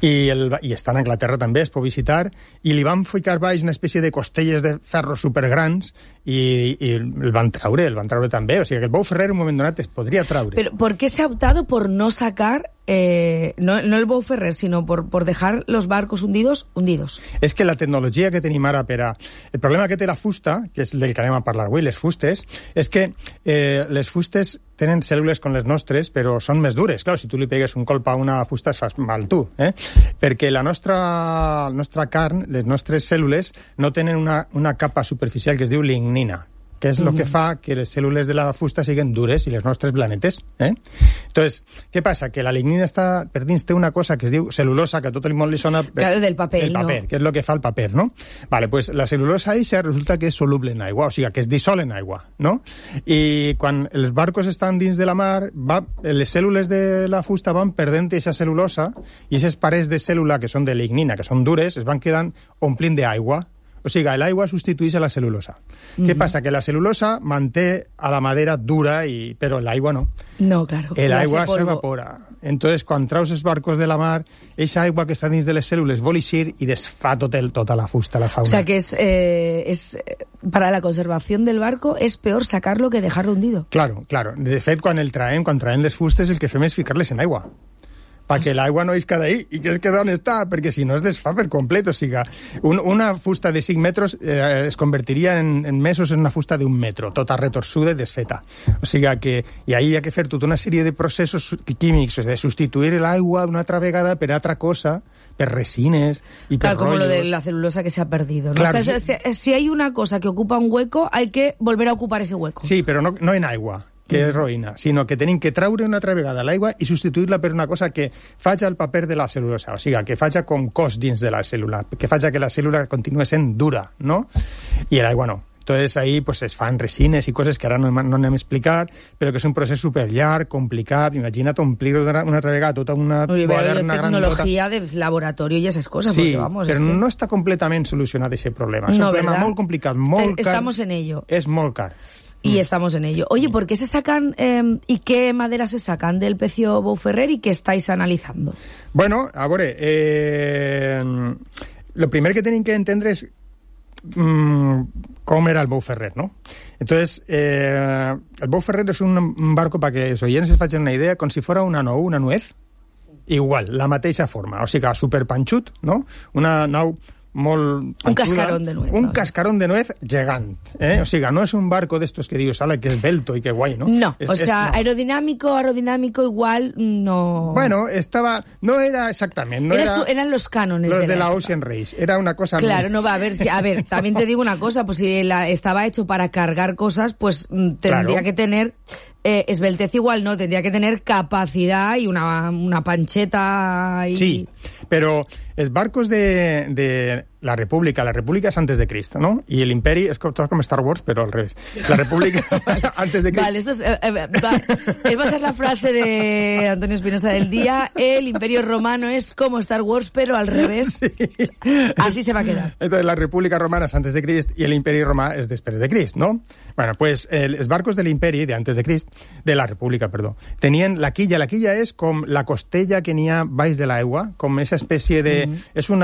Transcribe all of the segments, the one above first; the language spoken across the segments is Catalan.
I estan a Anglaterra també, es pot visitar, i li van ficar baix una espècie de costelles de ferro supergrans i el van traure també. O sigui que el Bou Ferrer en un moment donat es podria traure. Pero ¿por qué se ha optado por no sacar, no el Bou Ferrer, sino por dejar los barcos hundidos? És que la tecnologia que tenim ara el problema que té la fusta, que és del que anem a parlar avui, les fustes, és que les fustes tenen cèl·lules com les nostres, però són més dures. Clar, si tu li pegues un colp a una fusta es fas mal tu, perquè la nostra carn, les nostres cèl·lules, no tenen una capa superficial que es diu lignina, que és el que fa que les cèl·lules de la fusta siguin dures i les nostres blanetes. Entonces, què passa? Que la lignina per dins té una cosa que es diu cel·lulosa, que a tot el món li sona... Claro, del paper, ¿no? Que és el que fa el paper, ¿no? Vale, pues la cel·lulosa eixa resulta que és soluble en aigua, o sigui, que es dissol en aigua, ¿no? I quan els barcos estan dins de la mar, les cèl·lules de la fusta van perdent aquesta cel·lulosa i aquestes parets de cèl·lula que són de lignina, que són dures, es van quedant omplint d'aigua. O sigui, l'aigua substitueix a la cel·lulosa. Què passa? Que la cel·lulosa manté a la madera dura, però l'aigua no. No, claro. L'aigua s'evapora. Entonces, quan traus els barcos de la mar, aquesta aigua que està dins de les cèl·lules vol eixir i desfà tota la fusta, la fauna. O sea, que para la conservación del barco es peor sacarlo que dejarlo hundido. Claro. De fet, quan traiem les fustes, el que fem és ficar-les en aigua. Perquè l'aigua no isca d'ahí, i que és que d'on està, perquè si no es desfà per complet. O sigui, una fusta de 5 metres es convertiria en mesos en una fusta d'1 metro, tota retorçuda i desfeta. O sigui que, i ahí hi ha que fer tota una sèrie de processos químics, de substituir l'aigua una altra vegada per altra cosa, per resines y per rollos. Como lo de la celulosa que se ha perdido, ¿no? Claro, o sea, si hay una cosa que ocupa un hueco, hay que volver a ocupar ese hueco. Sí, però no en aigua, que és roïna, sinó que tenim que traure una altra vegada l'aigua i substituir-la per una cosa que faci el paper de la cel·lulosa, o sigui, que faci com cos dins de la cèl·lula, que faci que la cèl·lula continue sent dura, no? I l'aigua no. Entonces ahí pues es fan resines i coses que ara no anem a explicar, però que és un procés superllarg, complicat. Imagina't omplir una altra vegada tota una quaderna tecnologia de laboratorio y esas cosas. Sí, porque, vamos, però no està completament solucionat aquest problema. És un problema molt complicat, molt car. Estamos en ello. És molt car. Y estamos en ello. Oye, ¿por qué se sacan y qué madera se sacan del pecio Bou Ferrer y qué estáis analizando? Bueno, a veure, lo primer que tenim que entendre és com era el Bou Ferrer, ¿no? Entonces, el Bou Ferrer és un barco, para que els oients es facin una idea, com si fuera una nuez, igual, la mateixa forma, o sigui, superpanxut, no? Una nau molt panxuda, un cascarón de nuez. Un cascarón de nuez gegant. O sigui, no és un barco d'estos que dius, ala, que esbelto i que guai, no? No, o sea, aerodinámico igual no... Bueno, no era exactament. Eran los cánones los de la Ocean Race. Era una cosa... Claro, no va a ver, también te digo una cosa, pues si estaba hecho para cargar cosas, pues tendría que tener... esbeltez igual no, tendría que tener capacidad y una pancheta y... Sí, pero els barcos de la República és antes de Crist, ¿no? Y el Imperi es como Star Wars, pero al revés. La República antes de Crist. Vale, esto va a ser la frase de Antonio Espinosa del día. El Imperio Romano es como Star Wars, pero al revés. Sí. Así se va a quedar. Entonces, la República Romana es antes de Crist y el Imperi Romà es després de Crist, ¿no? Bueno, pues els barcos del Imperi, de antes de Crist, de la República, perdó, tenien la quilla. La quilla és com la costella que n'hi ha baix de l'aigua, com esa espècie de... És un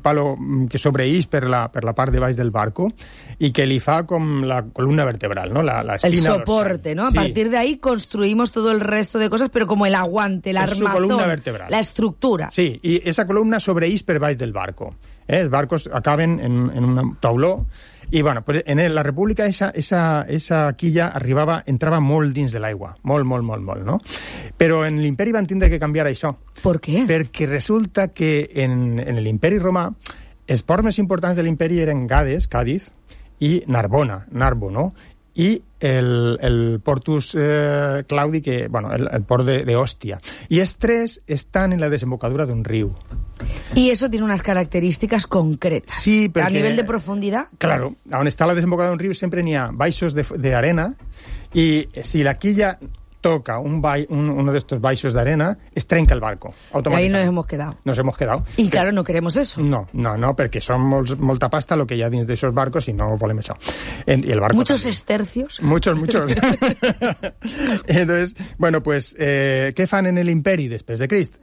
palo que sobreïx per la part de baix del barco i que li fa com la columna vertebral, ¿no? La espina el soporte, dorsal. ¿no? A partir de ahí construimos todo el resto de cosas, pero como el aguante, el armazón, columna vertebral. La estructura. Sí, i esa columna sobreïx per baix del barco. Els barcos acaben en un tauló i, bueno, pues en la República esa quilla entrava molt dins de l'aigua, molt, no? Però en l'Imperi van tindre que canviar això. Per què? Perquè resulta que en l'Imperi Romà els ports més importants de l'Imperi eren Gades, Càdiz, i Narbo, no? I el Portus Claudi, que, bueno, el port de Ostia. Y els tres están en la desembocadura d'un riu. Y eso tiene unas características concretas. Sí, perquè... A nivel de profundidad. Claro, on està la desembocadura d'un riu sempre n'hi ha baixos d'arena i si la quilla toca uno de estos baixos d'arena, es trenca el barco. Y ahí nos hemos quedado. Y claro, no queremos eso. No, perquè són molta pasta el que hi ha dins d'aixòs barcos i no volem això. Y el barco muchos también. Estercios. Muchos. Entonces, bueno, pues, ¿qué fan en el Imperi després de Crist?